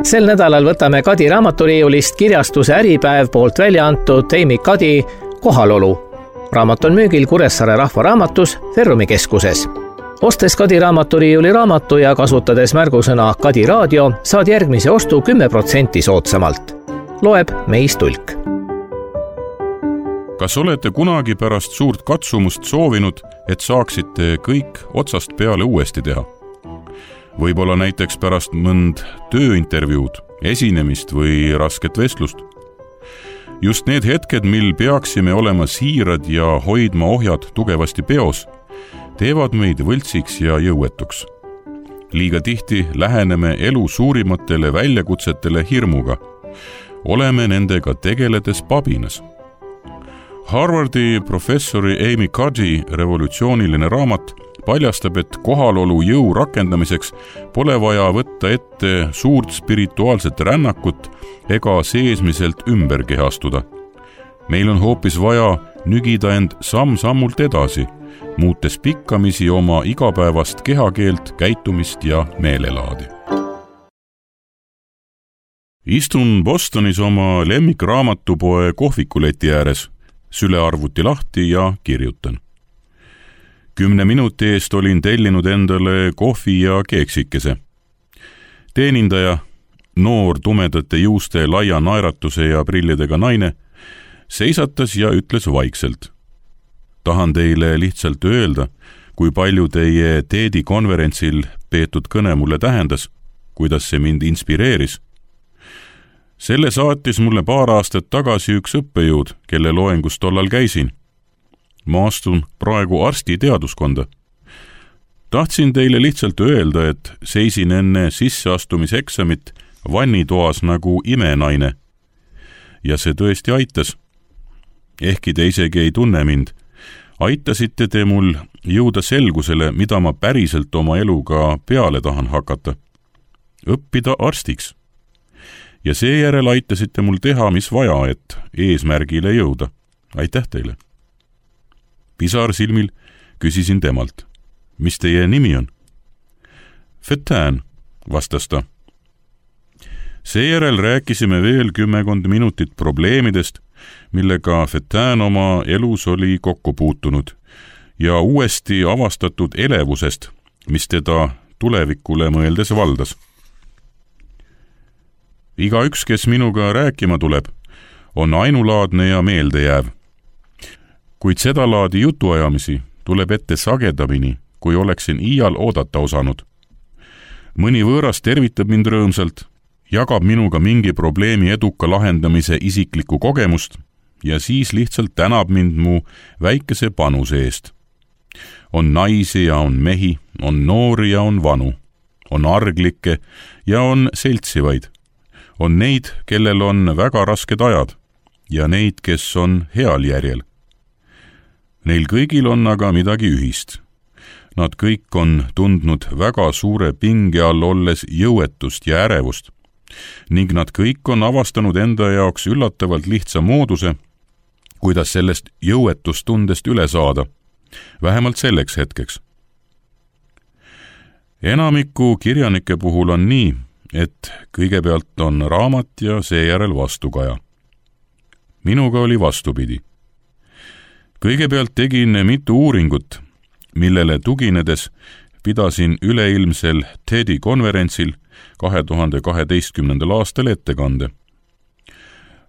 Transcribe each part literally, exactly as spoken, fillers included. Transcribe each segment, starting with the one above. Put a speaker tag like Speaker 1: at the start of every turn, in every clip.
Speaker 1: Sel nädalal võtame Kadi raamaturiiulist kirjastuse Äripäev poolt välja antud Amy Kadi Kohalolu. Raamat on müügil Kuressaare Rahvaraamatus Ferrumi keskuses. Ostes Kadi raamaturiiuli raamatu ja kasutades märgusõna Kadi raadio, saad järgmise ostu kümme protsenti soodsamalt. Loeb Meis Tulk.
Speaker 2: Kas olete kunagi pärast suurt katsumust soovinud, et saaksite kõik otsast peale uuesti teha? Võib-olla näiteks pärast mõnd tööintervjuud, esinemist või rasket vestlust. Just need hetked, mil peaksime olema siirad ja hoidma ohjad tugevasti peos, teevad meid võltsiks ja jõuetuks. Liiga tihti läheneme elu suurimatele väljakutsetele hirmuga. Oleme nendega tegeledes pabinas. Harvardi professori Amy Kadi revolutsiooniline raamat paljastab, et kohalolu jõu rakendamiseks pole vaja võtta ette suurt spirituaalset rännakut ega seesmiselt ümber kehastuda. Meil on hoopis vaja nügida end samm-sammult edasi, muutes pikkamisi oma igapäevast kehakeelt, käitumist ja meelelaadi. Istun Bostonis oma lemmikraamatupoe kohvikuleti ääres, sülearvuti lahti ja kirjutan. Kümne minuti eest olin tellinud endale kohvi ja keeksikese. Teenindaja, noor tumedate juuste laia naeratuse ja prillidega naine, seisatas ja ütles vaikselt. Tahan teile lihtsalt öelda, kui palju teie teedi konverentsil peetud kõne mulle tähendas, kuidas see mind inspireeris. Selle saatis mulle paar aastat tagasi üks õppejõud, kelle loengus tollal käisin. Ma astun praegu arsti teaduskonda. Tahtsin teile lihtsalt öelda, et seisin enne sisseastumiseksamit vannitoas nagu imenaine. Ja see tõesti aitas. Ehkki te isegi ei tunne mind, aitasite te mul jõuda selgusele, mida ma päriselt oma eluga peale tahan hakata. Õppida arstiks. Ja seejärel aitasite mul teha, mis vaja, et eesmärgile jõuda. Aitäh teile. Pisar silmil küsisin temalt. Mis teie nimi on? Fettään, vastas ta. Seejärel rääkisime veel kümmekond minutit probleemidest, millega Fettään oma elus oli kokku puutunud ja uuesti avastatud elevusest, mis teda tulevikule mõeldes valdas. Iga üks, kes minuga rääkima tuleb, on ainulaadne ja meeldejääv. Kuid seda laadi jutuajamisi tuleb ette sagedamini, kui oleksin iial oodata osanud. Mõni võõras tervitab mind rõõmsalt, jagab minuga mingi probleemi eduka lahendamise isiklikku kogemust ja siis lihtsalt tänab mind mu väikese panuse eest. On naisi ja on mehi, on noori ja on vanu, on arglikke ja on seltsivaid. On neid, kellel on väga rasked ajad ja neid, kes on heal järjel. Neil kõigil on aga midagi ühist. Nad kõik on tundnud väga suure pinge all olles jõuetust ja ärevust ning nad kõik on avastanud enda jaoks üllatavalt lihtsa mooduse, kuidas sellest jõuetustundest üle saada, vähemalt selleks hetkeks. Enamiku kirjanike puhul on nii, et kõigepealt on raamat ja seejärel vastukaja. Minuga oli vastupidi. Kõigepealt tegin mitu uuringut, millele tuginedes pidasin üleilmsel TEDi konverentsil kahe tuhande kaheteistkümnendal aastal ettekande.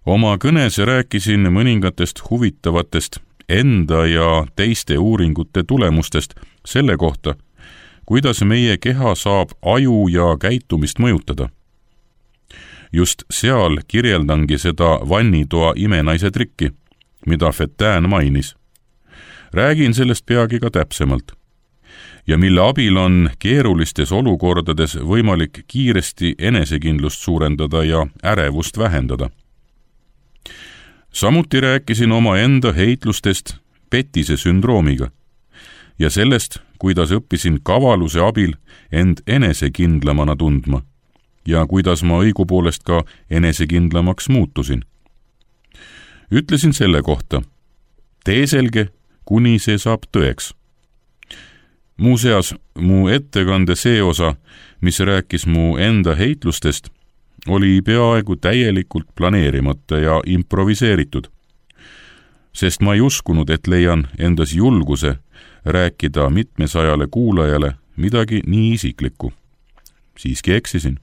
Speaker 2: Oma kõnes rääkisin mõningatest huvitavatest enda ja teiste uuringute tulemustest selle kohta, kuidas meie keha saab aju ja käitumist mõjutada. Just seal kirjeldangi seda vannitoa imenaise trikki, mida Fettään mainis. Räägin sellest peagi ka täpsemalt ja mille abil on keerulistes olukordades võimalik kiiresti enesekindlust suurendada ja ärevust vähendada. Samuti rääkisin oma enda heitlustest petise sündroomiga ja sellest, kuidas õppisin kavaluse abil end enesekindlamana tundma ja kuidas ma õigupoolest ka enesekindlamaks muutusin. Ütlesin selle kohta, tee selge, kuni see saab tõeks. Muuseas, mu ettekande see osa, mis rääkis mu enda heitlustest, oli peaaegu täielikult planeerimata ja improviseeritud, sest ma ei uskunud, et leian endas julguse rääkida mitmesajale kuulajale midagi nii isiklikku. Siiski eksisin.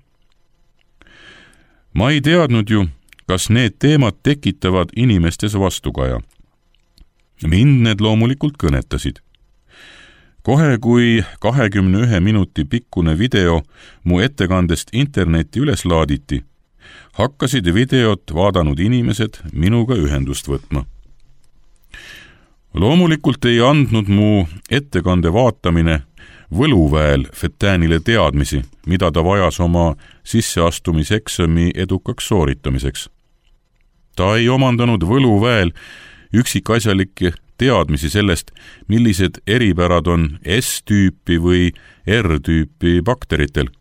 Speaker 2: Ma ei teadnud ju, kas need teemad tekitavad inimestes vastukaja. Mind need loomulikult kõnetasid. Kohe kui kahekümne ühe minuti pikkune video mu ettekandest internetti üles laaditi, hakkasid videot vaadanud inimesed minuga ühendust võtma. Loomulikult ei andnud mu ettekande vaatamine võluväel Fetänile teadmisi, mida ta vajas oma sisseastumiseksami edukaks sooritamiseks. Ta ei omandanud võluväel üksikasjalikke teadmisi sellest, millised eripärad on S-tüüpi või R-tüüpi bakteritel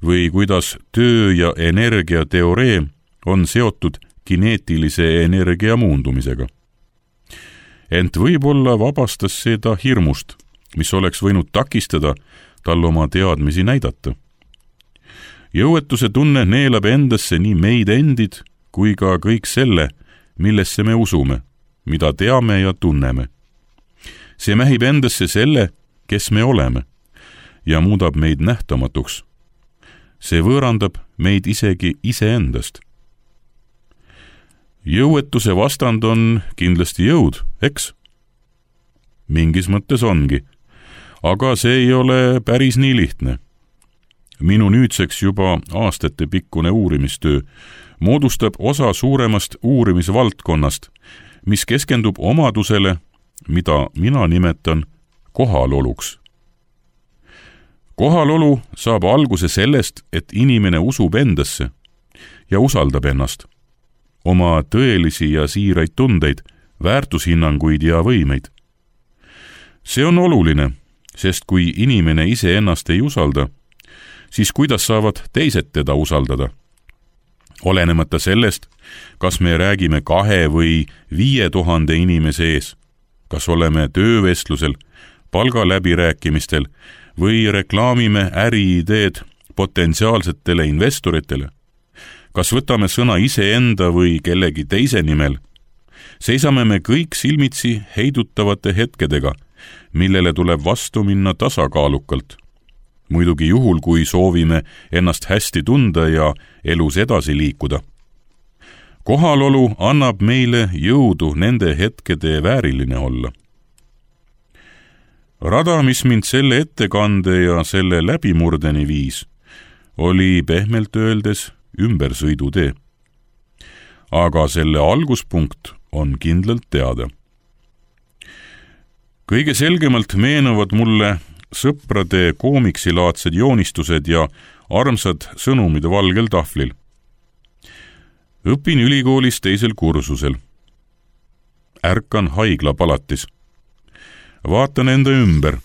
Speaker 2: või kuidas töö- ja energiateoreem on seotud kineetilise energia muundumisega. Ent võib-olla vabastas seda hirmust, mis oleks võinud takistada tal oma teadmisi näidata. Jõuetuse tunne neelab endasse nii meid endid kui ka kõik selle, millesse me usume, mida teame ja tunneme. See mähib endasse selle, kes me oleme, ja muudab meid nähtamatuks. See võõrandab meid isegi iseendast. Jõuetuse vastand on kindlasti jõud, eks? Mingis mõttes ongi, aga see ei ole päris nii lihtne. Minu nüüdseks juba aastate pikkune uurimistöö moodustab osa suuremast uurimisvaldkonnast, mis keskendub omadusele, mida mina nimetan kohaloluks. Kohalolu saab alguse sellest, et inimene usub endasse ja usaldab ennast, oma tõelisi ja siiraid tundeid, väärtushinnanguid ja võimeid. See on oluline, sest kui inimene ise ennast ei usalda, siis kuidas saavad teised teda usaldada? Olenemata sellest, kas me räägime kahe või viie tuhande inimese ees, kas oleme töövestlusel, palgaläbirääkimistel või reklaamime äriideed potentsiaalsetele investoritele, kas võtame sõna iseenda või kellegi teise nimel, seisame me kõik silmitsi heidutavate hetkedega, millele tuleb vastu minna tasakaalukalt. Muidugi juhul, kui soovime ennast hästi tunda ja elus edasi liikuda. Kohalolu annab meile jõudu nende hetkede vääriline olla. Rada, mis mind selle ettekande ja selle läbimurdeni viis, oli pehmelt öeldes ümbersõidutee. Aga selle alguspunkt on kindlalt teada. Kõige selgemalt meenuvad mulle sõprade koomiksilaadsed joonistused ja armsad sõnumid valgel tahvlil. Õpin ülikoolis teisel kursusel. Ärkan haiglapalatis. Vaatan enda ümber.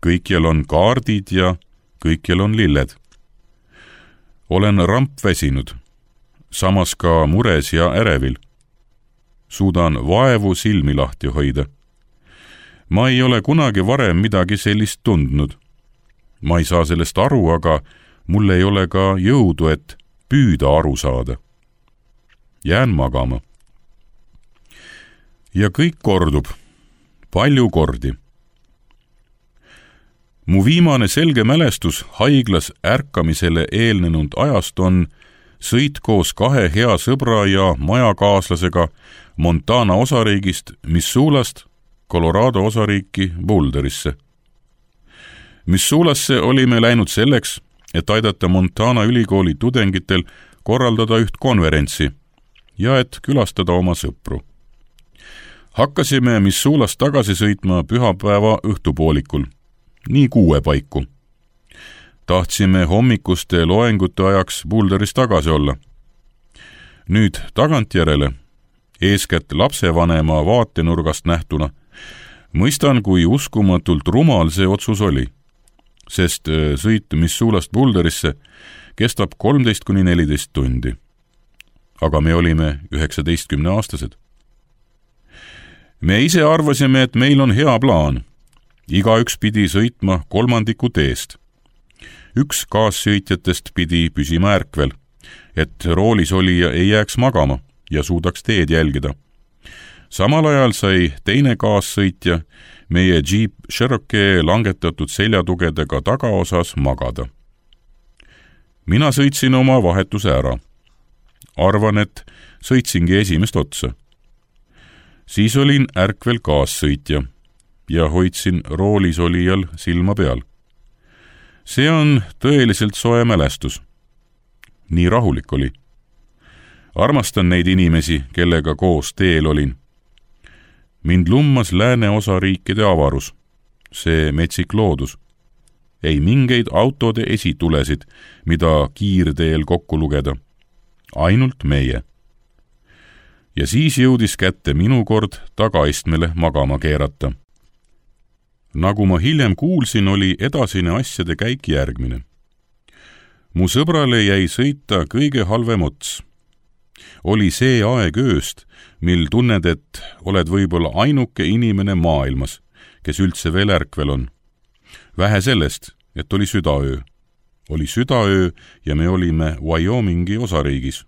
Speaker 2: Kõikjal on kaardid ja kõikjal on lilled. Olen rampväsinud, samas ka mures ja ärevil. Suudan vaevu silmi lahti hoida. Ma ei ole kunagi varem midagi sellist tundnud. Ma ei saa sellest aru, aga mul ei ole ka jõudu, et püüda aru saada. Jään magama. Ja kõik kordub, palju kordi. Mu viimane selge mälestus haiglas ärkamisele eelnenud ajast on sõit koos kahe hea sõbra ja majakaaslasega Montana osariigist Missoulast Colorado osariiki Boulderisse. Missoulasse olime läinud selleks, et aidata Montana ülikooli tudengitel korraldada üht konverentsi ja et külastada oma sõpru. Hakkasime Missoulast tagasi sõitma pühapäeva õhtupoolikul, nii kuue paiku. Tahtsime hommikuste loengute ajaks Boulderis tagasi olla. Nüüd tagantjärele, eeskätt lapsevanema vaatenurgast nähtuna, mõistan, kui uskumatult rumal see otsus oli, sest sõit Missoulast Boulderisse kestab kolmteist kuni neliteist tundi. Aga me olime üheksateistkümne aastased. Me ise arvasime, et meil on hea plaan. Igaüks pidi sõitma kolmandiku teest. Üks kaassõitjatest pidi püsima ärkvel, et roolis olija ei jääks magama ja suudaks teed jälgida. Samal ajal sai teine kaassõitja meie Jeep Cherokee langetatud seljatugedega tagaosas magada. Mina sõitsin oma vahetuse ära. Arvan, et sõitsingi esimest otsa. Siis olin ärkvel kaassõitja ja hoidsin roolis olijal silma peal. See on tõeliselt soe mälestus. Nii rahulik oli. Armastan neid inimesi, kellega koos teel olin. Mind lummas lääne osariikide avarus, see metsik loodus. Ei mingeid autode esitulesid, mida kiirteel kokku lugeda. Ainult meie. Ja siis jõudis kätte minu kord tagaistmele magama keerata. Nagu ma hiljem kuulsin, oli edasine asjade käik järgmine. Mu sõbrale jäi sõita kõige halvem ots. Oli see aeg ööst, mil tunned, et oled võib-olla ainuke inimene maailmas, kes üldse veel ärkvel on. Vähe sellest, et oli südaöö. Oli südaöö ja me olime Wyomingi osariigis.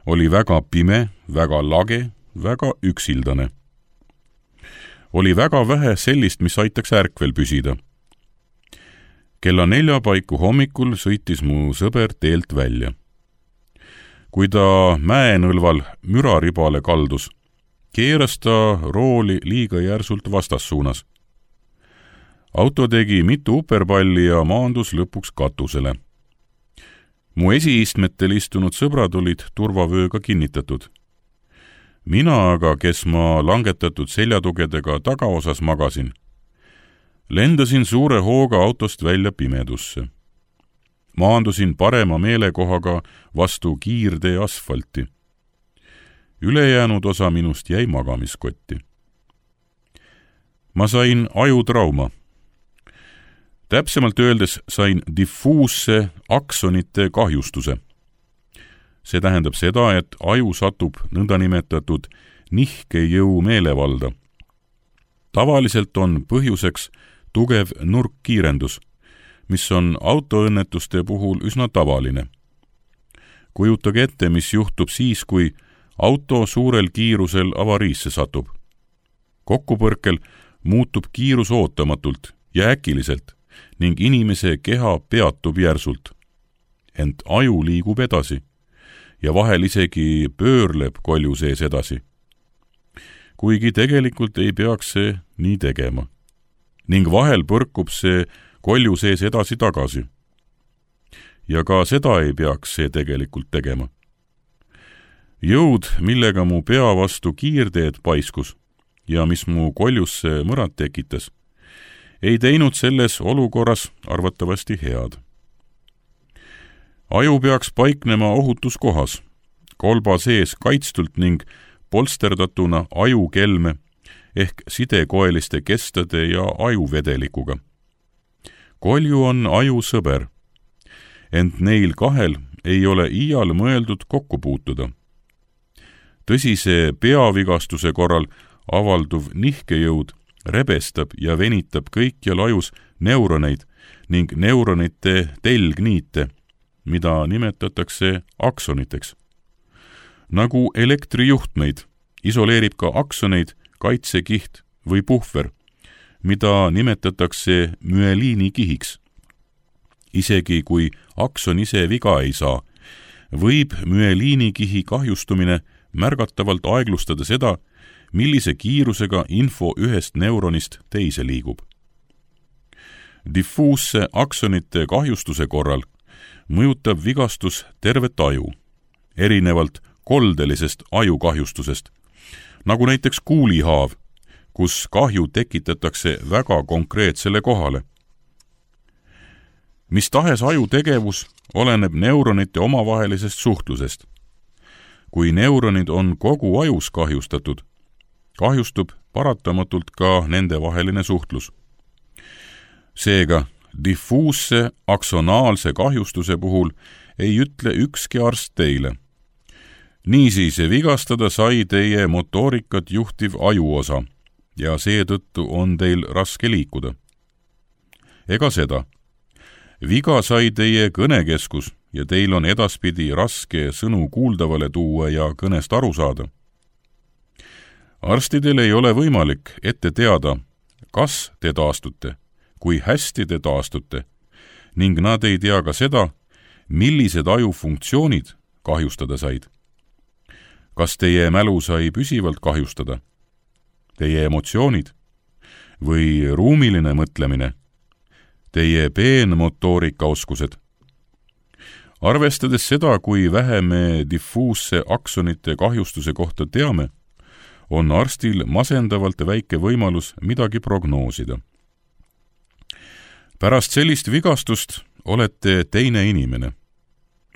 Speaker 2: Oli väga pime, väga lage, väga üksildane. Oli väga vähe sellist, mis aitaks ärkvel püsida. Kella nelja paiku hommikul sõitis mu sõber teelt välja. Kui ta mäenõlval müraribale kaldus, keeras ta rooli liiga järsult vastassuunas. Auto tegi mitu uperpalli ja maandus lõpuks katusele. Mu esiistmetel istunud sõbrad olid turvavööga kinnitatud. Mina aga, kes ma langetatud seljatugedega tagaosas magasin, lendasin suure hooga autost välja pimedusse. Maandusin parema meelekohaga vastu kiirtee asfalti. Ülejäänud osa minust jäi magamiskotti. Ma sain ajutrauma. Täpsemalt öeldes sain diffuusse aksonite kahjustuse. See tähendab seda, et aju satub nõndanimetatud nihkejõu meelevalda. Tavaliselt on põhjuseks tugev nurkkiirendus, mis on autoõnnetuste puhul üsna tavaline. Kujutage ette, mis juhtub siis, kui auto suurel kiirusel avariisse satub. Kokkupõrkel muutub kiirus ootamatult ja äkiliselt ning inimese keha peatub järsult. Ent aju liigub edasi ja vahel isegi pöörleb kolju sees edasi. Kuigi tegelikult ei peaks see nii tegema. Ning vahel põrkub see kolju sees edasi tagasi. Ja ka seda ei peaks see tegelikult tegema. Jõud, millega mu pea vastu kiirteed paiskus ja mis mu koljusse mõrad tekitas, ei teinud selles olukorras arvatavasti head. Aju peaks paiknema ohutuskohas, kolba sees kaitstult ning polsterdatuna ajukelme ehk sidekoeliste kestade ja ajuvedelikuga. Kolju on aju sõber, ent neil kahel ei ole iial mõeldud kokku puutuda. Tõsise peavigastuse korral avalduv nihkejõud rebestab ja venitab kõikjal ajus neuroneid ning neuronite telgniite, mida nimetatakse aksoniteks. Nagu elektrijuhtmeid isoleerib ka aksoneid kaitsekiht või puhver, mida nimetatakse müeliinikihiks. Isegi kui akson ise viga ei saa, võib müeliinikihi kahjustumine märgatavalt aeglustada seda, millise kiirusega info ühest neuronist teise liigub. Diffuusse aksonite kahjustuse korral mõjutab vigastus tervet aju, erinevalt koldelisest ajukahjustusest, nagu näiteks kuulihaav, kus kahju tekitatakse väga konkreetsele kohale. Mis tahes aju tegevus oleneb neuronite omavahelisest suhtlusest. Kui neuronid on kogu ajus kahjustatud, kahjustub paratamatult ka nende vaheline suhtlus. Seega, diffuusse aksonaalse kahjustuse puhul ei ütle ükski arst teile. Niisiis vigastada sai teie motoorikat juhtiv ajuosa ja seetõttu on teil raske liikuda. Ega seda. Viga sai teie kõnekeskus ja teil on edaspidi raske sõnu kuuldavale tuua ja kõnest aru saada. Arstidel ei ole võimalik ette teada, kas te taastute, kui hästi te taastute, ning nad ei tea ka seda, millised ajufunktsioonid kahjustada said. Kas teie mälu sai püsivalt kahjustada? Teie emotsioonid? Või ruumiline mõtlemine? Teie peenmotoorikaoskused? Arvestades seda, kui vähe me diffuusse aksonite kahjustuse kohta teame, on arstil masendavalt väike võimalus midagi prognoosida. Pärast sellist vigastust olete teine inimene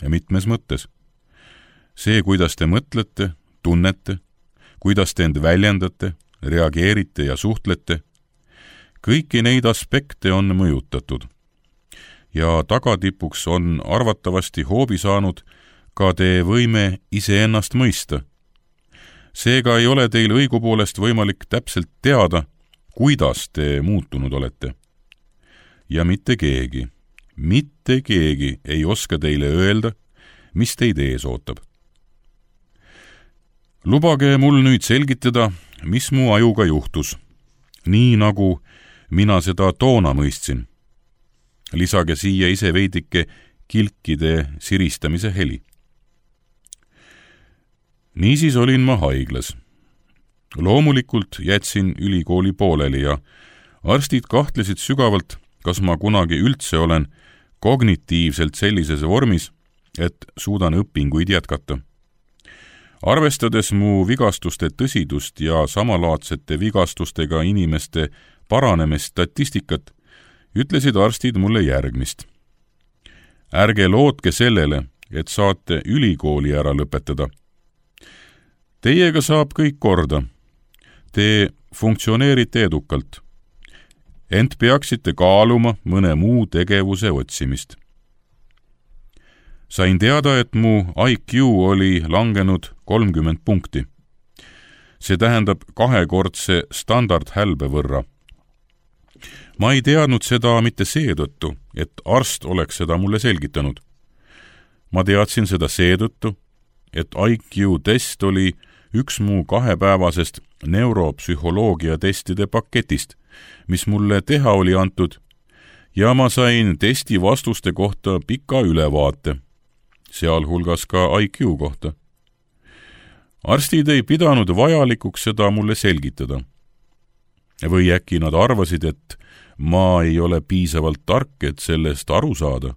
Speaker 2: ja mitmes mõttes. See, kuidas te mõtlete, tunnete, kuidas te end väljendate, reageerite ja suhtlete, kõiki neid aspekte on mõjutatud. Ja tagatipuks on arvatavasti hoobi saanud ka te võime iseennast mõista. Seega ei ole teil õigupoolest võimalik täpselt teada, kuidas te muutunud olete. Ja mitte keegi, mitte keegi ei oska teile öelda, mis teid ees ootab. Lubage mul nüüd selgitada, mis mu ajuga juhtus, nii nagu mina seda toona mõistsin. Lisage siia ise veidike kilkide siristamise heli. Niisiis olin ma haiglas. Loomulikult jätsin ülikooli pooleli ja arstid kahtlesid sügavalt, kas ma kunagi üldse olen kognitiivselt sellises vormis, et suudan õpinguid jätkata. Arvestades mu vigastuste tõsidust ja samalaadsete vigastustega inimeste paranemist statistikat, ütlesid arstid mulle järgmist. Ärge lootke sellele, et saate ülikooli ära lõpetada. Teiega saab kõik korda. Te funktsioneerite edukalt. Ent peaksite kaaluma mõne muu tegevuse otsimist. Sain teada, et mu I Q oli langenud kolmkümmend punkti. See tähendab kahekordse standardhälbe võrra. Ma ei teadnud seda mitte seetõttu, et arst oleks seda mulle selgitanud. Ma teadsin seda seetõttu, et I Q test oli üks mu kahepäevasest neuropsühholoogia testide paketist, mis mulle teha oli antud, ja ma sain testi vastuste kohta pika ülevaate, sealhulgas ka I Q kohta. Arstid ei pidanud vajalikuks seda mulle selgitada. Või äkki nad arvasid, et ma ei ole piisavalt tark, et sellest aru saada.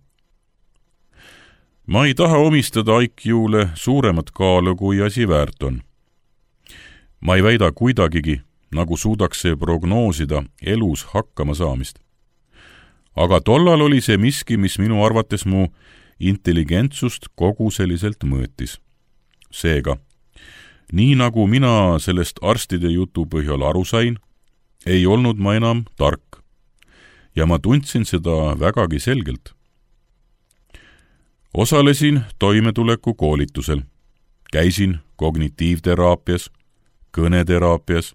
Speaker 2: Ma ei taha omistada I Q-le suuremat kaalu, kui asi väärt on. Ma ei väida kuidagigi, nagu suudaks see prognoosida elus hakkama saamist. Aga tollal oli see miski, mis minu arvates mu intelligentsust kogu selliselt mõõtis. Seega, nii nagu mina sellest arstide jutu põhjal aru sain, ei olnud ma enam tark ja ma tundsin seda vägagi selgelt. Osalesin toimetuleku koolitusel, käisin kognitiivteraapias, kõneteraapias,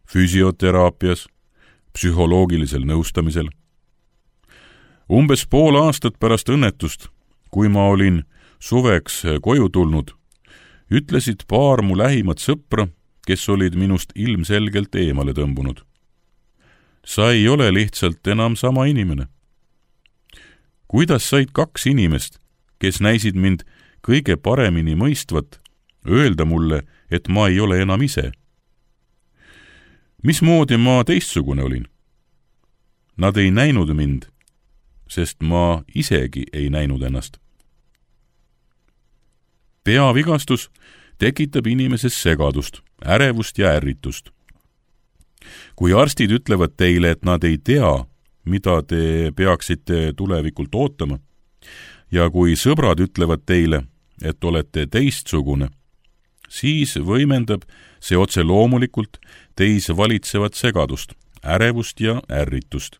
Speaker 2: füsioteraapias, psühholoogilisel nõustamisel. Umbes pool aastat pärast õnnetust, kui ma olin suveks koju tulnud, ütlesid paar mu lähimat sõpra, kes olid minust ilmselgelt eemale tõmbunud. Sa ei ole lihtsalt enam sama inimene. Kuidas said kaks inimest, kes näisid mind kõige paremini mõistvat, öelda mulle, et ma ei ole enam ise? Mismoodi ma teistsugune olin? Nad ei näinud mind, sest ma isegi ei näinud ennast. Peavigastus tekitab inimeses segadust, ärevust ja ärritust. Kui arstid ütlevad teile, et nad ei tea, mida te peaksite tulevikult ootama, ja kui sõbrad ütlevad teile, et olete teistsugune, siis võimendab see otse loomulikult teis valitsevat segadust, ärevust ja ärritust.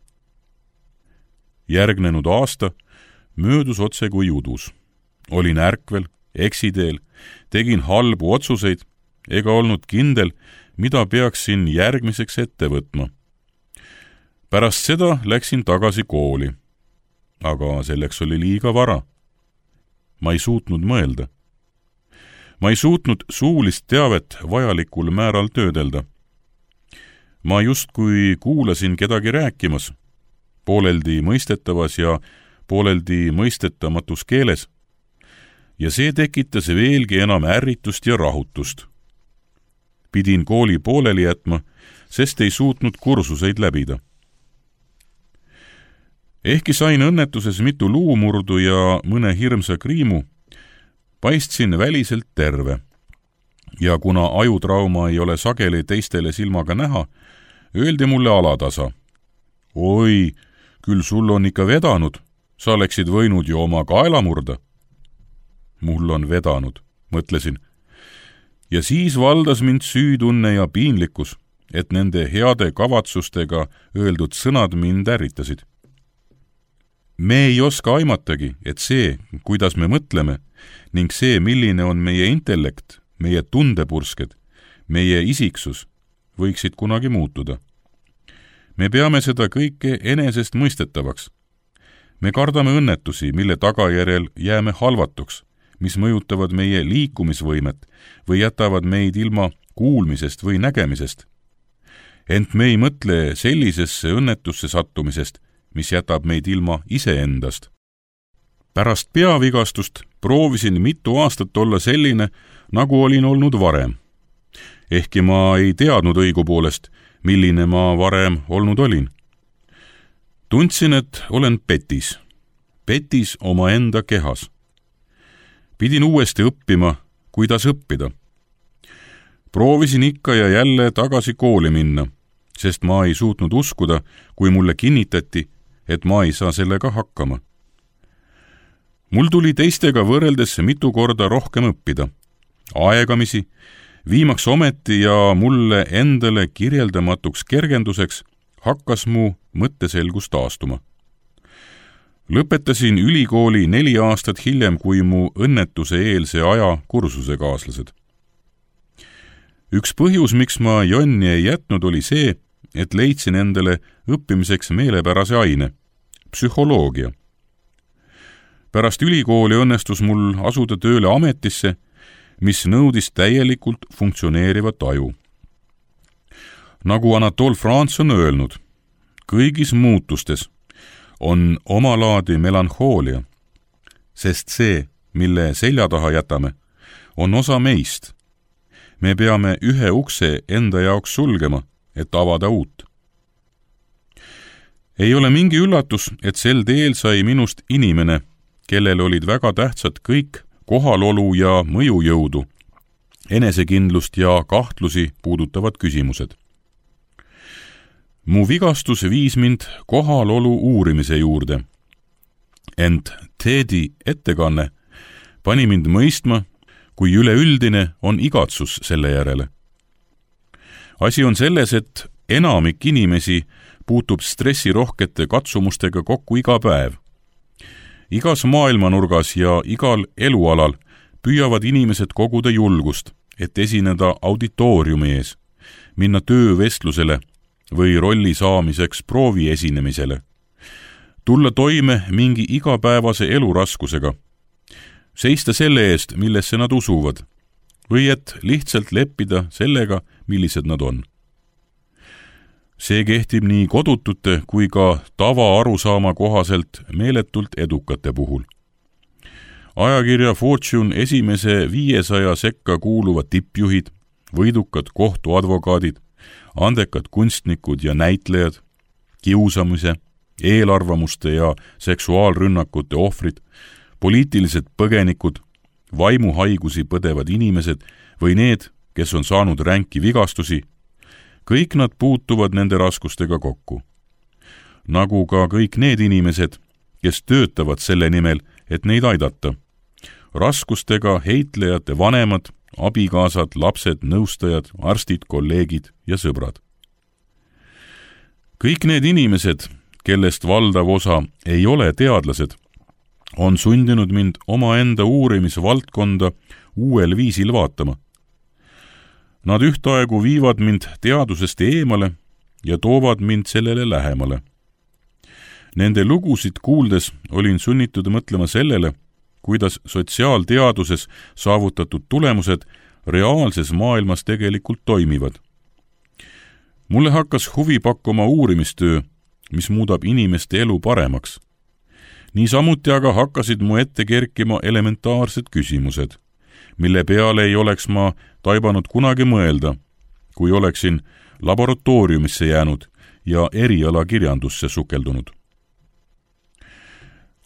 Speaker 2: Järgnenud aasta möödus otse kui udus. Olin ärkvel, eksiteel, tegin halbu otsuseid ega olnud kindel, mida peaksin järgmiseks ette võtma. Pärast seda läksin tagasi kooli, aga selleks oli liiga vara. ma ei suutnud mõelda. Ma ei suutnud suulist teavet vajalikul määral töödelda. Ma justkui kuulasin kedagi rääkimas, pooleldi mõistetavas ja pooleldi mõistetamatus keeles, ja see tekitas veelgi enam ärritust ja rahutust. Pidin kooli pooleli jätma, sest ei suutnud kursuseid läbida. Ehkki sain õnnetuses mitu luumurdu ja mõne hirmsa kriimu, paistsin väliselt terve. Ja kuna ajutrauma ei ole sageli teistele silmaga näha, öeldi mulle alatasa. Oi, küll sul on ikka vedanud, sa oleksid võinud ju oma kaela murda. Mul on vedanud, mõtlesin. Ja siis valdas mind süütunne ja piinlikkus, et nende heade kavatsustega öeldud sõnad mind ärritasid. Me ei oska aimatagi, et see, kuidas me mõtleme, ning see, milline on meie intellekt, meie tundepursked, meie isiksus, võiksid kunagi muutuda. Me peame seda kõike enesest mõistetavaks. Me kardame õnnetusi, mille tagajärjel jääme halvatuks, mis mõjutavad meie liikumisvõimet või jätavad meid ilma kuulmisest või nägemisest. Ent me ei mõtle sellisesse õnnetusse sattumisest, mis jätab meid ilma iseendast. Pärast peavigastust proovisin mitu aastat olla selline, nagu olin olnud varem. Ehkki ma ei teadnud õigupoolest, milline ma varem olnud olin. Tundsin, et olen petis. Petis oma enda kehas. Pidin uuesti õppima, kuidas õppida. Proovisin ikka ja jälle tagasi kooli minna, sest ma ei suutnud uskuda, kui mulle kinnitati, et ma ei saa sellega hakkama. Mul tuli teistega võrreldes mitu korda rohkem õppida. Aegamisi, viimaks ometi ja mulle endale kirjeldamatuks kergenduseks hakkas mu mõtteselgus taastuma. Lõpetasin ülikooli neli aastat hiljem kui mu õnnetuse eelse aja kursusekaaslased. Üks põhjus, miks ma jonni ei jätnud, oli see, et leidsin endale õppimiseks meelepärase aine, psühholoogia. Pärast ülikooli õnnestus mul asuda tööle ametisse, mis nõudis täielikult funktsioneerivat aju. Nagu Anatole France on öelnud, kõigis muutustes on omalaadi melanhoolia, sest see, mille selja taha jätame, on osa meist. Me peame ühe ukse enda jaoks sulgema, et avada uut. Ei ole mingi üllatus, et sel teel sai minust inimene, kellel olid väga tähtsad kõik kohalolu ja mõjujõudu, enesekindlust ja kahtlusi puudutavad küsimused. Mu vigastus viis mind kohalolu uurimise juurde. Ent Teddy ettekanne pani mind mõistma, kui üleüldine on igatsus selle järele. Asi on selles, et enamik inimesi puutub stressirohkete katsumustega kokku iga päev. Igas maailmanurgas ja igal elualal püüavad inimesed koguda julgust, et esineda auditooriumi ees, minna töövestlusele või rolli saamiseks proovi esinemisele, tulla toime mingi igapäevase eluraskusega, seista selle eest, millesse nad usuvad, või et lihtsalt leppida sellega, millised nad on. See kehtib nii kodutute kui ka tava arusaama kohaselt meeletult edukate puhul. Ajakirja Fortune esimese viiesaja sekka kuuluvad tippjuhid, võidukad kohtuadvokaadid, andekad kunstnikud ja näitlejad, kiusamise, eelarvamuste ja seksuaalrünnakute ohvrid, poliitilised põgenikud, vaimuhaigusi põdevad inimesed või need, kes on saanud ränki vigastusi, kõik nad puutuvad nende raskustega kokku. Nagu ka kõik need inimesed, kes töötavad selle nimel, et neid aidata. Raskustega heitlejate vanemad, abikaasad, lapsed, nõustajad, arstid, kolleegid ja sõbrad. Kõik need inimesed, kellest valdav osa ei ole teadlased, on sundinud mind omaenda uurimisvaldkonda uuel viisil vaatama. Nad ühtaegu viivad mind teadusest eemale ja toovad mind sellele lähemale. Nende lugusid kuuldes olin sunnitud mõtlema sellele, kuidas sotsiaalteaduses saavutatud tulemused reaalses maailmas tegelikult toimivad. Mulle hakkas huvi pakkuma uurimistöö, mis muudab inimeste elu paremaks. Niisamuti aga hakkasid mu ette kerkima elementaarsed küsimused, mille peale ei oleks ma taibanud kunagi mõelda, kui oleksin laboratooriumisse jäänud ja erialakirjandusse sukeldunud.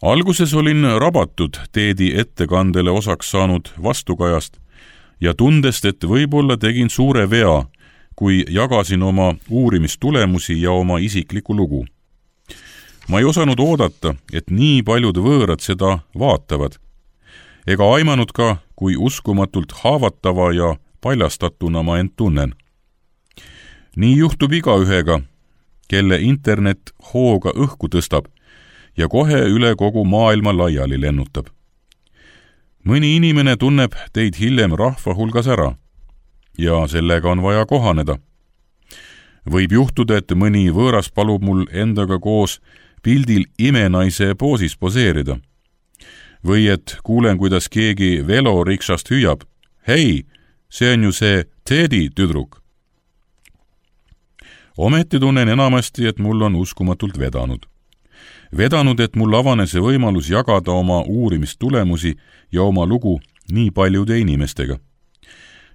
Speaker 2: Alguses olin rabatud Teedi ettekandele osaks saanud vastukajast ja tundest, et võib-olla tegin suure vea, kui jagasin oma uurimistulemusi ja oma isiklikku lugu. Ma ei osanud oodata, et nii paljud võõrad seda vaatavad, ega aimanud ka, kui uskumatult haavatava ja paljastatuna ma end tunnen. Nii juhtub igaühega, kelle internet hooga õhku tõstab ja kohe üle kogu maailma laiali lennutab. Mõni inimene tunneb teid hiljem rahva hulgas ära ja sellega on vaja kohaneda. Võib juhtuda, et mõni võõras palub mul endaga koos pildil imenaise poosis poseerida. Või et kuulen, kuidas keegi veloriksast hüüab, hei, see on ju see Teedi tüdruk. Ometi tunnen enamasti, et mul on uskumatult vedanud. Vedanud, et mul avanes võimalus jagada oma uurimistulemusi ja oma lugu nii paljude inimestega.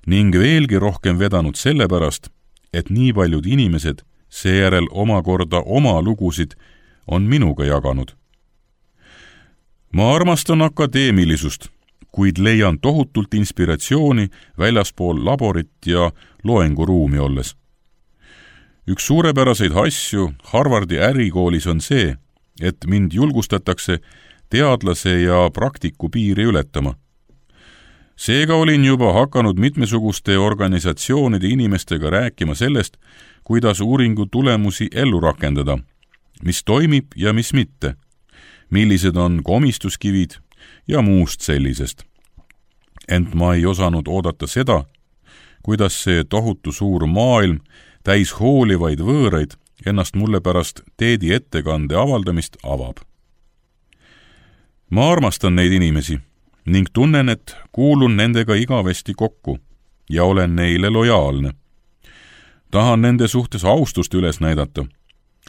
Speaker 2: Ning veelgi rohkem vedanud sellepärast, et nii paljud inimesed seejärel omakorda oma lugusid on minuga jaganud. Ma armastan akadeemilisust, kuid leian tohutult inspiratsiooni väljaspool laborit ja loenguruumi olles. Üks suurepäraseid asju Harvardi ärikoolis on see, et mind julgustatakse teadlase ja praktiku piiri ületama. Seega olin juba hakanud mitmesuguste organisatsioonide inimestega rääkima sellest, kuidas uuringu tulemusi ellu rakendada, mis toimib ja mis mitte, millised on komistuskivid ja muust sellisest. Ent ma ei osanud oodata seda, kuidas see tohutu suur maailm täis hoolivaid võõraid ennast mulle pärast Teedi ettekande avaldamist avab. Ma armastan neid inimesi ning tunnen, et kuulun nendega igavesti kokku ja olen neile lojaalne. Tahan nende suhtes austust üles näidata,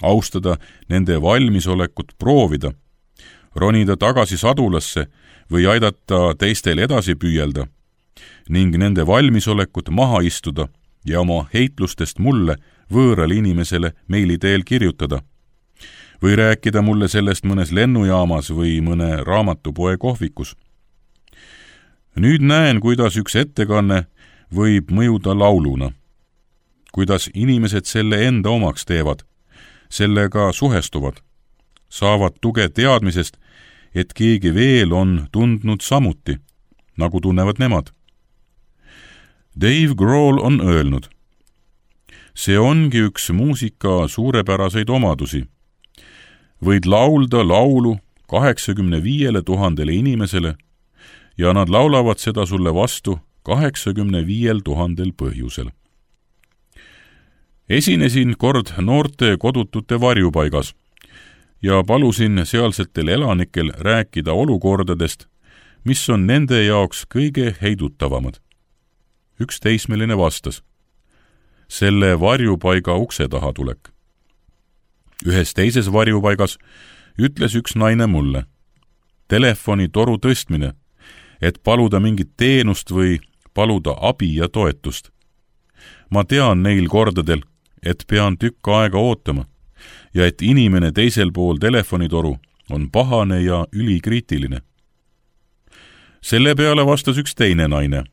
Speaker 2: austada nende valmisolekut proovida, ronida tagasi sadulasse või aidata teistel edasi püüelda ning nende valmisolekut maha istuda ja oma heitlustest mulle, võõrale inimesele meili teel kirjutada või rääkida mulle sellest mõnes lennujaamas või mõne raamatupoe kohvikus. Nüüd näen, kuidas üks ettekanne võib mõjuda lauluna, kuidas inimesed selle enda omaks teevad, sellega suhestuvad, saavad tuge teadmisest, et keegi veel on tundnud samuti, nagu tunnevad nemad. Dave Grohl on öelnud, see ongi üks muusika suurepäraseid omadusi. Võid laulda laulu kaheksakümne viiele tuhandele inimesele ja nad laulavad seda sulle vastu kaheksakümne viiel tuhandel põhjusel. Esinesin kord noorte kodutute varjupaigas ja palusin sealsetel elanikel rääkida olukordadest, mis on nende jaoks kõige heidutavamad. Üks teismeline vastas, selle varjupaiga ukse taha tulek. Ühes teises varjupaigas ütles üks naine mulle, telefoni toru tõstmine, et paluda mingit teenust või paluda abi ja toetust. Ma tean neil kordadel, et pean tükk aega ootama ja et inimene teisel pool telefonitoru on pahane ja ülikriitiline. Selle peale vastas üks teine naine.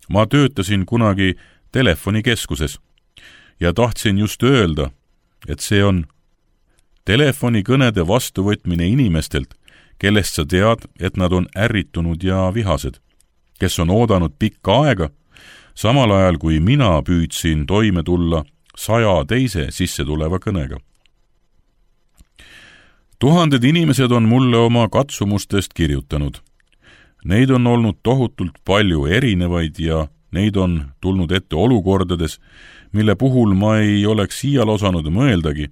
Speaker 2: Ma töötasin kunagi telefonikeskuses ja tahtsin just öelda, et see on telefonikõnede vastuvõtmine inimestelt, kellest sa tead, et nad on ärritunud ja vihased, kes on oodanud pikka aega, samal ajal kui mina püüdsin toime tulla saja teise sisse tuleva kõnega. Tuhanded inimesed on mulle oma katsumustest kirjutanud. Neid on olnud tohutult palju erinevaid ja neid on tulnud ette olukordades, mille puhul ma ei oleks siial osanud mõeldagi,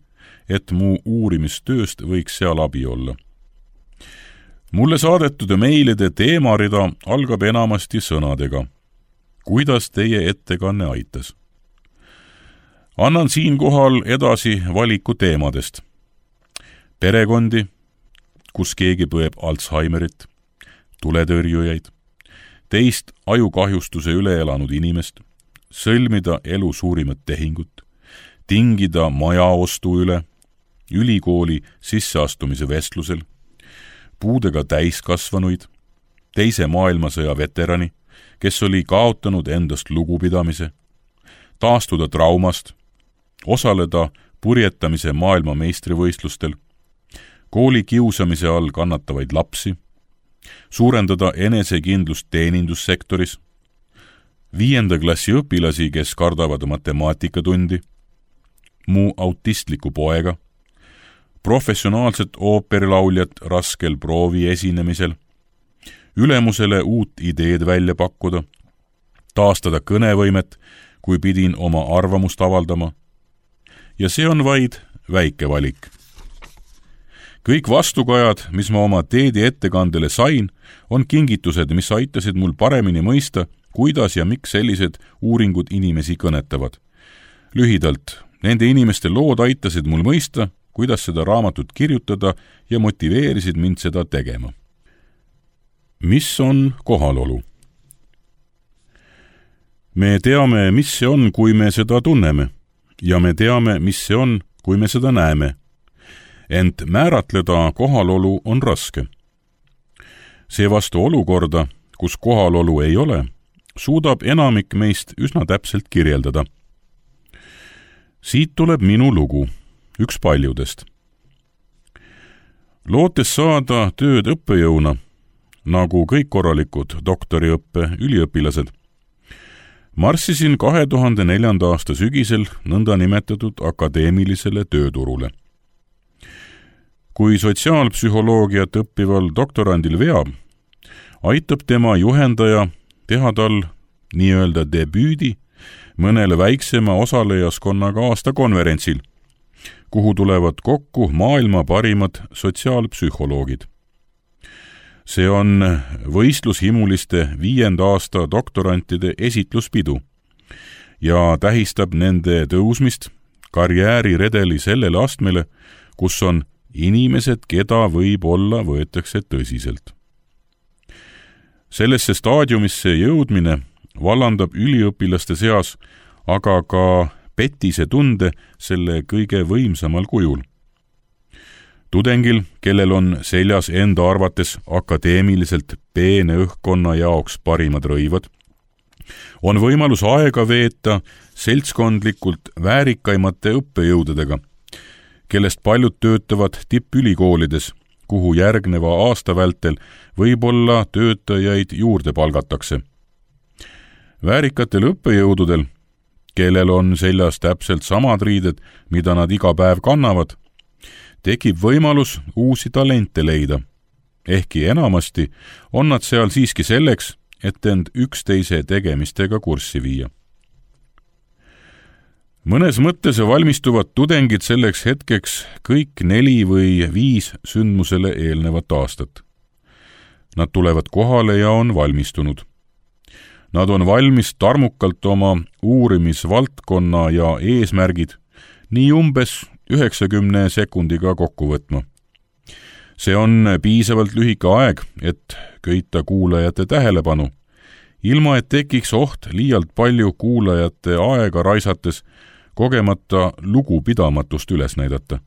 Speaker 2: et mu uurimistööst võiks seal abi olla. mulle saadetud meilide teemarida algab enamasti sõnadega. Kuidas teie ettekanne aitas? Annan siinkohal edasi valiku teemadest. Perekondi, kus keegi põeb Alzheimerit, tuletõrjujaid, teist ajukahjustuse üle elanud inimest, sõlmida elu suurimat tehingut, tingida maja ostu üle, ülikooli sisseastumise vestlusel, puudega täiskasvanuid, teise maailmasõja veterani, kes oli kaotanud endast lugupidamise, taastuda traumast, osaleda purjetamise maailma meistrivõistlustel, kooli kiusamise all kannatavaid lapsi, suurendada enesekindlust teenindussektoris, viienda klassi õpilasi, kes kardavad matemaatikatundi, mu autistliku poega, professionaalset ooperilauljat raskel proovi esinemisel, ülemusele uut ideed välja pakkuda, taastada kõnevõimet, kui pidin oma arvamust avaldama. Ja see on vaid väike valik. Kõik vastukajad, mis ma oma teedi ettekandele sain, on kingitused, mis aitasid mul paremini mõista, kuidas ja miks sellised uuringud inimesi kõnetavad. Lühidalt, nende inimeste lood aitasid mul mõista, kuidas seda raamatut kirjutada ja motiveerisid mind seda tegema. Mis on kohalolu? Me teame, mis see on, kui me seda tunneme, ja me teame, mis see on, kui me seda näeme. Ent määratleda kohalolu on raske. Seevastu olukorda, kus kohalolu ei ole, suudab enamik meist üsna täpselt kirjeldada. Siit tuleb minu lugu, üks paljudest. Lootes saada tööd õppejõuna, nagu kõik korralikud doktoriõppe üliõpilased, marssisin kahe tuhande neljanda aasta sügisel nõnda nimetatud akadeemilisele tööturule. Kui sotsiaalpsühholoogiat õppival doktorandil veab, aitab tema juhendaja teha tal nii-öelda debüüdi mõnele väiksema osalejaskonnaga aastakonverentsil, kuhu tulevad kokku maailma parimad sotsiaalpsühholoogid. See on võistlushimuliste viienda aasta doktorantide esitluspidu ja tähistab nende tõusmist karjääriredeli sellele astmele, kus on inimesed, keda võib-olla võetakse tõsiselt. Sellesse staadiumisse jõudmine vallandab üliõpilaste seas aga ka petise tunde selle kõige võimsamal kujul. Tudengil, kellel on seljas enda arvates akadeemiliselt peene õhkkonna jaoks parimad rõivad, on võimalus aega veeta seltskondlikult väärikaimate õppejõududega, kellest paljud töötavad tippülikoolides, kuhu järgneva aasta vältel võib-olla töötajaid juurde palgatakse. Väärikatel õppejõududel, kellel on seljas täpselt samad riided, mida nad iga päev kannavad, tekib võimalus uusi talente leida, ehkki enamasti on nad seal siiski selleks, et end üksteise tegemistega kurssi viia. Mõnes mõttes valmistuvad tudengid selleks hetkeks kõik neli või viis sündmusele eelnevat aastat. Nad tulevad kohale ja on valmistunud. Nad on valmis tarmukalt oma uurimisvaldkonna ja eesmärgid nii umbes üheksakümne sekundiga kokku võtma. See on piisavalt lühike aeg, et köita kuulajate tähelepanu, ilma et tekiks oht liialt palju kuulajate aega raisates kogemata lugupidamatust üles näidata.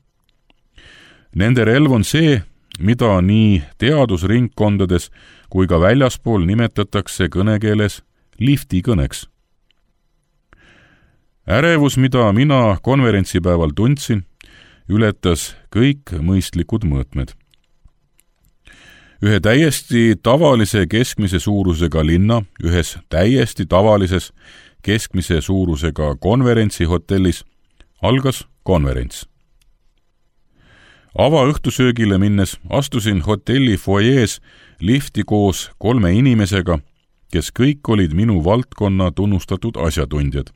Speaker 2: Nende relv on see, mida nii teadusringkondades kui ka väljaspool nimetatakse kõnekeeles liftikõneks. Ärevus, mida mina konverentsipäeval tundsin, ületas kõik mõistlikud mõõtmed. Ühe täiesti tavalise keskmise suurusega linna, ühes täiesti tavalises keskmise suurusega konverentsihotellis algas konverents. Avaõhtusöögile minnes astusin hotelli foyees lifti koos kolme inimesega, kes kõik olid minu valdkonna tunnustatud asjatundjad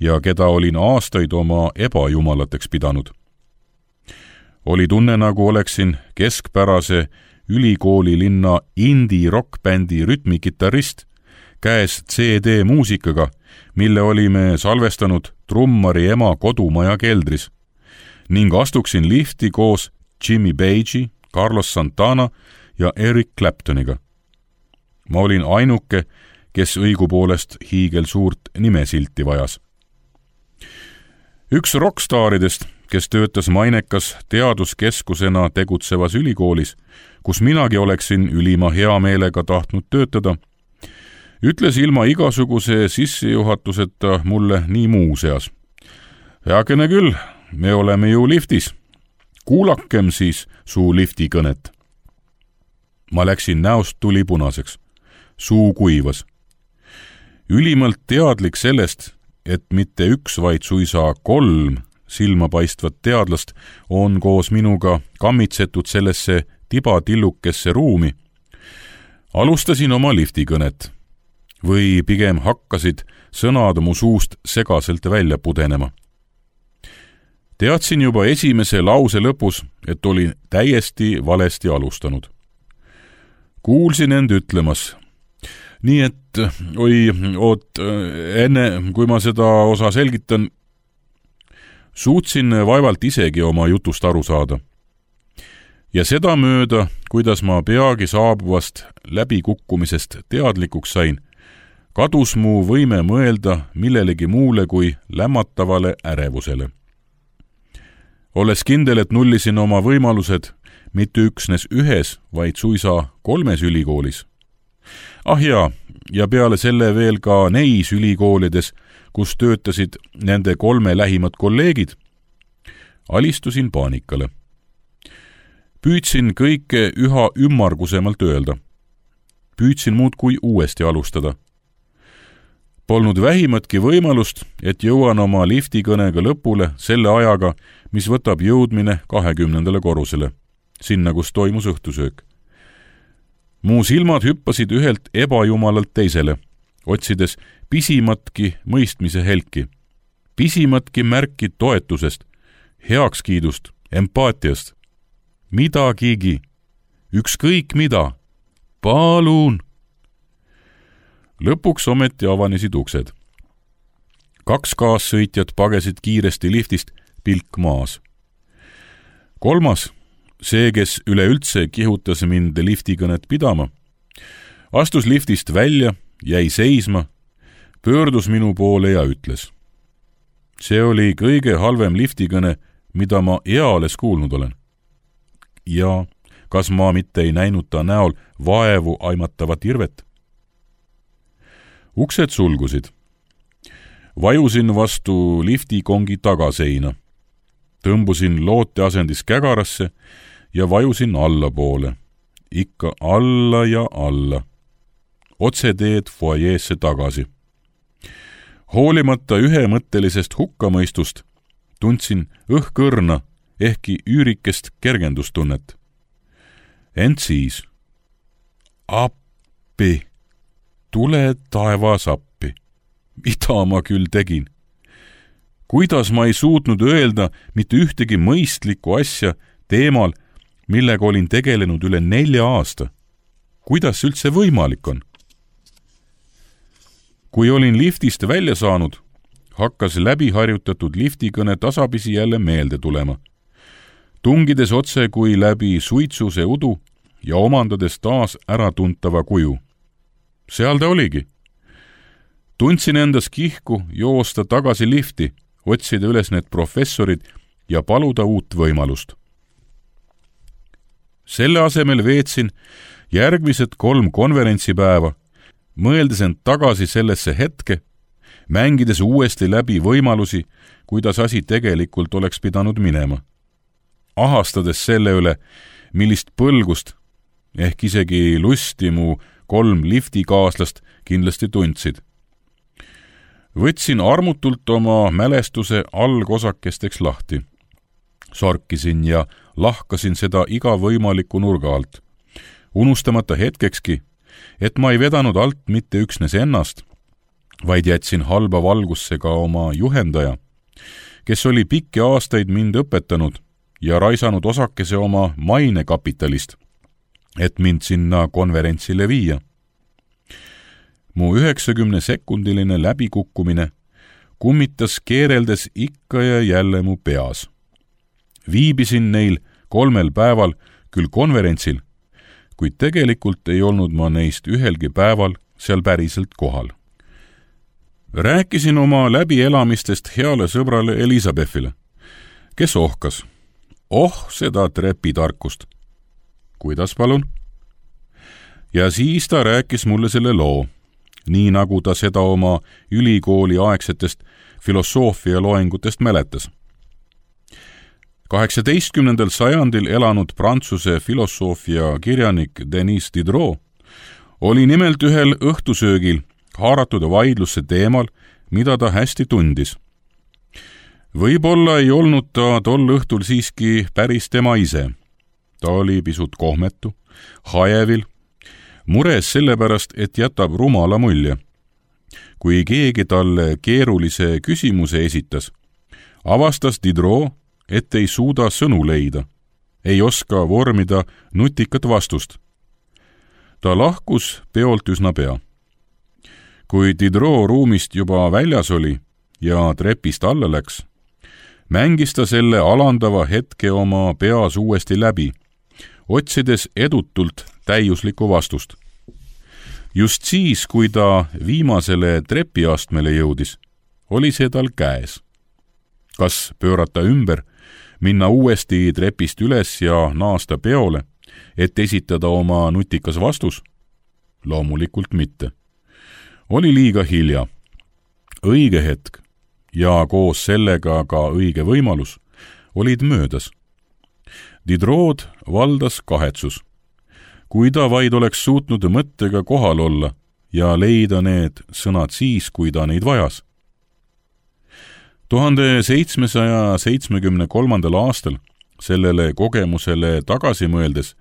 Speaker 2: ja keda olin aastaid oma ebajumalateks pidanud. Oli tunne, nagu oleksin keskpärase ülikooli linna indie rockbändi rütmikitarrist, käes C D muusikaga, mille olime salvestanud trummari ema kodumaja keldris, ning astuksin lifti koos Jimmy Page'i, Carlos Santana ja Eric Claptoniga. Ma olin ainuke, kes õigupoolest hiigel suurt nimesilti vajas. Üks rockstaaridest, kes töötas mainekas teaduskeskusena tegutsevas ülikoolis, kus minagi oleksin ülima hea meelega tahtnud töötada, ütles ilma igasuguse sissejuhatuseta mulle nii muuseas. Heakene küll, me oleme ju liftis. Kuulakem siis suu lifti kõnet. Ma läksin näost tuli punaseks. Suu kuivas. Ülimalt teadlik sellest, et mitte üks, vaid suisa kolm silmapaistvat teadlast on koos minuga kammitsetud sellesse tibatillukesse ruumi, alustasin oma liftikõnet. Või pigem hakkasid sõnad mu suust segaselt välja pudenema. Teadsin juba esimese lause lõpus, et olin täiesti valesti alustanud. Kuulsin end ütlemas. Nii et, oi, oot, enne kui ma seda osa selgitan, suutsin vaevalt isegi oma jutust aru saada. Ja seda mööda, kuidas ma peagi saabuvast läbikukkumisest teadlikuks sain, kadus mu võime mõelda millelegi muule kui lämmatavale ärevusele. Olles kindel, et nullisin oma võimalused mitte üksnes ühes, vaid suisa kolmes ülikoolis. Ah jaa, ja peale selle veel ka neis ülikoolides, kus töötasid nende kolme lähimad kolleegid, alistusin paanikale. Püüdsin kõike üha ümmargusemalt öelda. Püüdsin muud kui uuesti alustada. Polnud vähimatki võimalust, et jõuan oma liftikõnega lõpule selle ajaga, mis võtab jõudmine kahekümnendale korrusele, sinna, kus toimus õhtusöök. Mu silmad hüppasid ühelt ebajumalalt teisele, otsides pisimatki mõistmise helki, pisimatki märki toetusest, heakskiidust, empaatiast, midagigi, ükskõik mida, palun. Lõpuks ometi avanesid uksed. Kaks kaassõitjat pagesid kiiresti liftist, pilk maas. Kolmas, see, kes üleüldse kihutas mind liftikõnet pidama, astus liftist välja, jäi seisma, pöördus minu poole ja ütles. See oli kõige halvem liftikõne, mida ma eales kuulnud olen. Ja kas ma mitte ei näinud ta näol vaevu aimatavat irvet? Uksed sulgusid. Vajusin vastu liftikongi tagaseina. Tõmbusin loote asendis kägarasse ja vajusin allapoole. Ikka alla ja alla. Otse teed foajeesse tagasi. Hoolimata ühemõttelisest hukkamõistust tundsin õhkõrna ehkki üürikest kergendustunnet. Ent siis. Appi! Tule taevas appi. Mida ma küll tegin? Kuidas ma ei suutnud öelda mitte ühtegi mõistlikku asja teemal, millega olin tegelenud üle nelja aasta? Kuidas üldse võimalik on? Kui olin liftist välja saanud, hakkas läbiharjutatud liftikõne tasapisi jälle meelde tulema. Tungides otse kui läbi suitsuse udu ja omandades taas äratuntava kuju. Seal ta oligi. Tundsin endas kihku joosta tagasi lifti, otsida üles need professorid ja paluda uut võimalust. Selle asemel veetsin järgmised kolm konverentsipäeva, mõeldes end tagasi sellesse hetke, mängides uuesti läbi võimalusi, kuidas asi tegelikult oleks pidanud minema. Ahastades selle üle, millist põlgust, ehk isegi lusti mu kolm liftikaaslast kindlasti tundsid. Võtsin armutult oma mälestuse algosakesteks lahti. Sorkisin ja lahkasin seda iga võimaliku nurga alt, unustamata hetkekski, et ma ei vedanud alt mitte üksnes ennast, vaid jätsin halba valgusse ka oma juhendaja, kes oli pikki aastaid mind õpetanud ja raisanud osakese oma mainekapitalist, et mind sinna konverentsile viia. Mu üheksakümne sekundiline läbikukkumine kummitas keereldes ikka ja jälle mu peas. Viibisin neil kolmel päeval küll konverentsil, kuid tegelikult ei olnud ma neist ühelgi päeval seal päriselt kohal. Rääkisin oma läbielamistest heale sõbrale Elisabethile, kes ohkas. Oh, seda trepitarkust. Kuidas palun? Ja siis ta rääkis mulle selle loo, nii nagu ta seda oma ülikooli aegsetest filosoofia loengutest mäletas. kaheksateistkümnendal sajandil elanud Prantsuse filosoofia kirjanik Denis Diderot oli nimelt ühel õhtusöögil haaratud vaidlusse teemal, mida ta hästi tundis. Võib-olla ei olnud ta tol õhtul siiski päris tema ise. Ta oli pisut kohmetu, hajevil, mures sellepärast, et jätab rumala mulje. Kui keegi talle keerulise küsimuse esitas, avastas Diderot, et ei suuda sõnu leida, ei oska vormida nutikat vastust. Ta lahkus peolt üsna pea. Kui Diderot ruumist juba väljas oli ja trepist alla läks, mängis ta selle alandava hetke oma peas uuesti läbi, otsides edutult täiuslikku vastust. Just siis, kui ta viimasele trepiastmele jõudis, oli see tal käes. Kas pöörata ümber, minna uuesti trepist üles ja naasta peole, et esitada oma nutikas vastus? Loomulikult mitte. Oli liiga hilja. Õige hetk ja koos sellega ka õige võimalus olid möödas. Diderot valdas kahetsus. Kui ta vaid oleks suutnud mõttega kohal olla ja leida need sõnad siis, kui ta neid vajas. tuhande seitsmesaja seitsmekümne kolmandal aastal sellele kogemusele tagasi mõeldes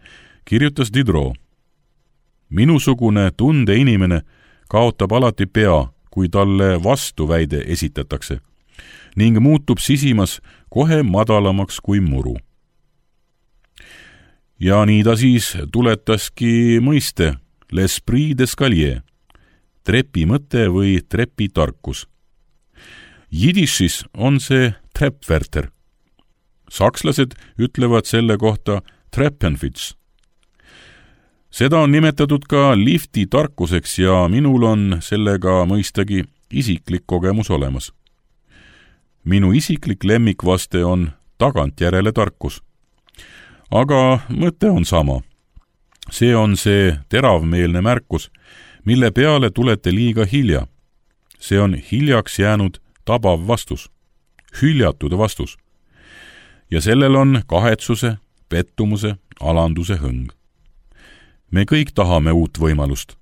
Speaker 2: kirjutas Diderot: minusugune tundeinimene kaotab alati pea, kui talle vastuväide esitatakse ning muutub sisimas kohe madalamaks kui muru. Ja nii ta siis tuletaski mõiste l'esprit d'escalier, trepi mõte või trepi tarkus. Jidišis on see Treppwärter. Sakslased ütlevad selle kohta Treppenwitz. Seda on nimetatud ka lifti tarkuseks ja minul on sellega mõistagi isiklik kogemus olemas. Minu isiklik lemmikvaste on tagantjärele tarkus. Aga mõte on sama. See on see teravmeelne märkus, mille peale tulete liiga hilja. See on hiljaks jäänud tabav vastus, hüljatud vastus. Ja sellel on kahetsuse, pettumuse, alanduse hõng. Me kõik tahame uut võimalust.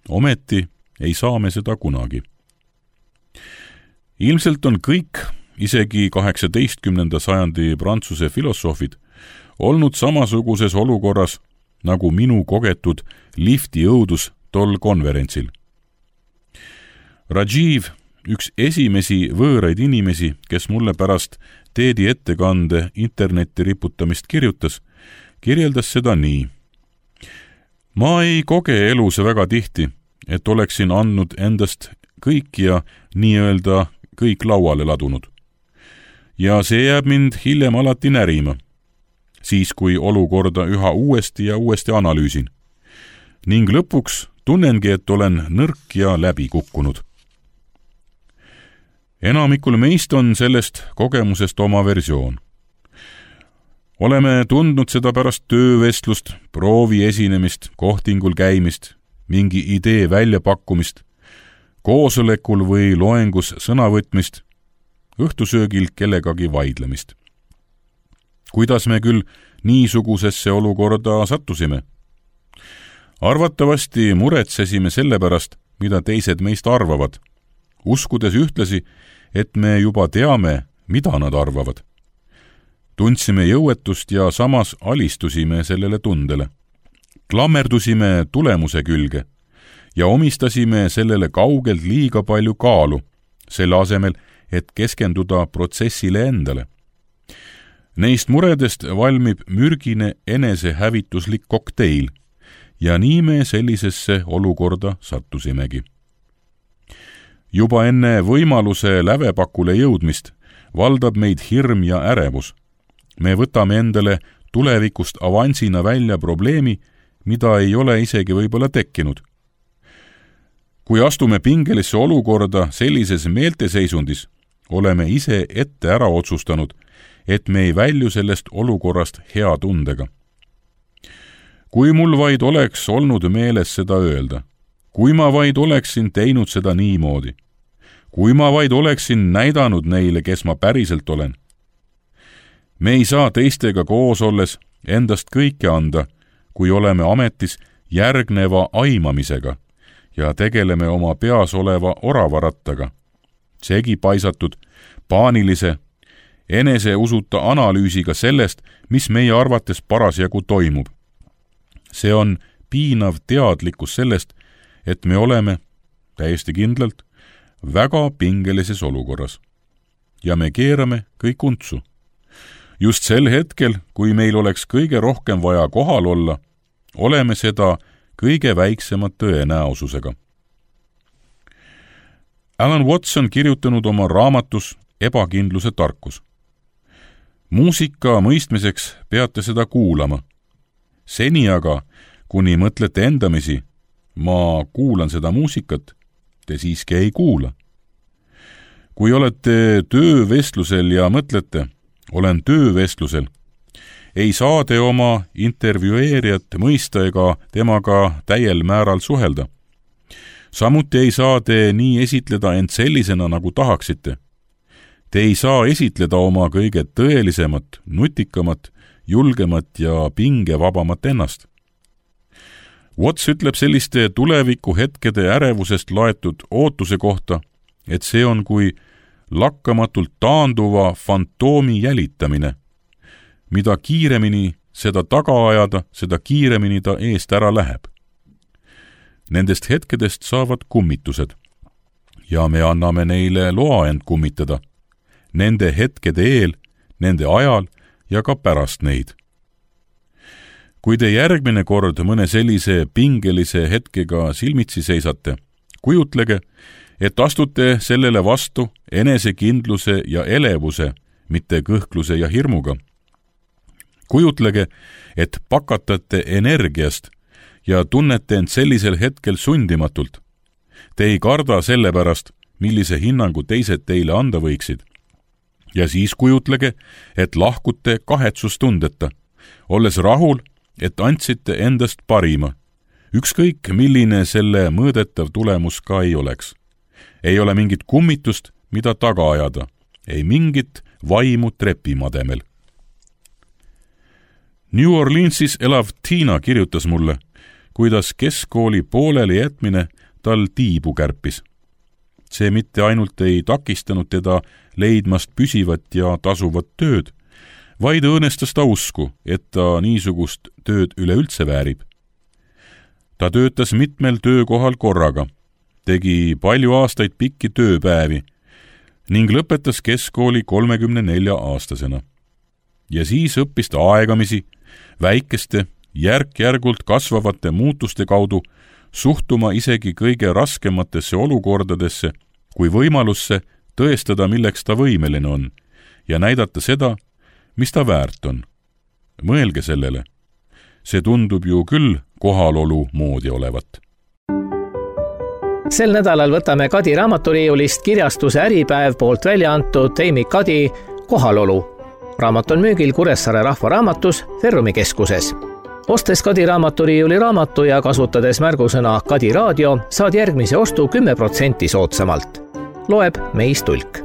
Speaker 2: Ometi ei saa me seda kunagi. Ilmselt on kõik, isegi kaheksateistkümnenda sajandi Prantsuse filosoofid, olnud samasuguses olukorras nagu minu kogetud lifti õudus tol konverentsil. Rajiv, üks esimesi võõraid inimesi, kes mulle pärast teedi ettekande internetti riputamist kirjutas, kirjeldas seda nii. Ma ei koge elus väga tihti, et oleksin andnud endast kõik ja nii-öelda kõik lauale ladunud. Ja see jääb mind hiljem alati närima, siis kui olukorda üha uuesti ja uuesti analüüsin. Ning lõpuks tunnengi, et olen nõrk ja läbi kukkunud. Enamikul meist on sellest kogemusest oma versioon. Oleme tundnud seda pärast töövestlust, proovi esinemist, kohtingul käimist, mingi idee väljapakkumist, koosolekul või loengus sõnavõtmist, õhtusöögil kellegagi vaidlemist. Kuidas me küll niisugusesse olukorda sattusime? Arvatavasti muretsesime selle pärast, mida teised meist arvavad, uskudes ühtlasi, et me juba teame, mida nad arvavad. Tundsime jõuetust ja samas alistusime sellele tundele. Klammerdusime tulemuse külge ja omistasime sellele kaugelt liiga palju kaalu, selle asemel, et keskenduda protsessile endale. Neist muredest valmib mürgine enesehävituslik kokteil ja nii me sellisesse olukorda sattusimegi. Juba enne võimaluse lävepakule jõudmist valdab meid hirm ja ärevus. Me võtame endale tulevikust avansina välja probleemi, mida ei ole isegi võib-olla tekkinud. Kui astume pingelisse olukorda sellises meelteseisundis, oleme ise ette ära otsustanud, et me ei välju sellest olukorrast hea tundega. Kui mul vaid oleks olnud meeles seda öelda, kui ma vaid oleksin teinud seda niimoodi, kui ma vaid oleksin näidanud neile, kes ma päriselt olen. Me ei saa teistega koos olles endast kõike anda, kui oleme ametis järgneva aimamisega ja tegeleme oma peas oleva oravarattaga, segi paisatud, paanilise, eneseusuta analüüsiga sellest, mis meie arvates parasjagu toimub. See on piinav teadlikkus sellest, et me oleme, täiesti kindlalt, väga pingelises olukorras. Ja me keerame kõik untsu. Just sel hetkel, kui meil oleks kõige rohkem vaja kohal olla, oleme seda kõige väiksema tõenäosusega. Alan Watson kirjutanud oma raamatus Ebakindluse tarkus. Muusika mõistmiseks peate seda kuulama. Seni aga, kuni mõtlete endamisi, ma kuulan seda muusikat, te siiski ei kuula. Kui olete töövestlusel ja mõtlete, olen töövestlusel, ei saa te oma intervjueerijat mõista ega temaga täiel määral suhelda. Samuti ei saa te nii esitleda end sellisena, nagu tahaksite. Te ei saa esitleda oma kõige tõelisemat, nutikamat, julgemat ja pingevabamat ennast. Watts ütleb selliste tuleviku hetkede ärevusest laetud ootuse kohta, et see on kui lakkamatult taanduva fantoomi jälitamine. Mida kiiremini seda taga ajada, seda kiiremini ta eest ära läheb. Nendest hetkedest saavad kummitused ja me anname neile loa end kummitada. Nende hetkede eel, nende ajal ja ka pärast neid. Kui te järgmine kord mõne sellise pingelise hetkega silmitsi seisate, kujutlege, et astute sellele vastu enesekindluse ja elevuse, mitte kõhkluse ja hirmuga. Kujutlege, et pakatate energiast ja tunnete end sellisel hetkel sundimatult. Te ei karda selle pärast, millise hinnangu teised teile anda võiksid. Ja siis kujutlege, et lahkute kahetsustundeta, olles rahul, et andsite endast parima. Ükskõik, milline selle mõõdetav tulemus ka ei oleks. Ei ole mingit kummitust, mida taga ajada, ei mingit vaimu trepimademel. New Orleansis elav Tiina kirjutas mulle, kuidas keskkooli pooleli jätmine tal tiibu kärpis. See mitte ainult ei takistanud teda leidmast püsivat ja tasuvat tööd, vaid õõnestas ta usku, et ta niisugust tööd üleüldse väärib. Ta töötas mitmel töökohal korraga, tegi palju aastaid pikki tööpäevi ning lõpetas keskkooli kolmekümne nelja aastasena. Ja siis õppis ta aegamisi, väikeste, järk-järgult kasvavate muutuste kaudu suhtuma isegi kõige raskematesse olukordadesse kui võimalusse tõestada, milleks ta võimeline on ja näidata seda, mis ta väärt on. Mõelge sellele. See tundub ju küll kohalolu moodi olevat.
Speaker 1: Sel nädalal võtame Kadi raamaturiiulist kirjastuse Äripäev poolt välja antud Amy Kadi Kohalolu. Raamat on müügil Kuressaare Rahvaraamatus Ferrumi keskuses. Ostes Kadi raamaturiiuli raamatu ja kasutades märgusõna Kadi raadio, saad järgmise ostu kümme protsenti soodsamalt. Loeb Meis Tulk.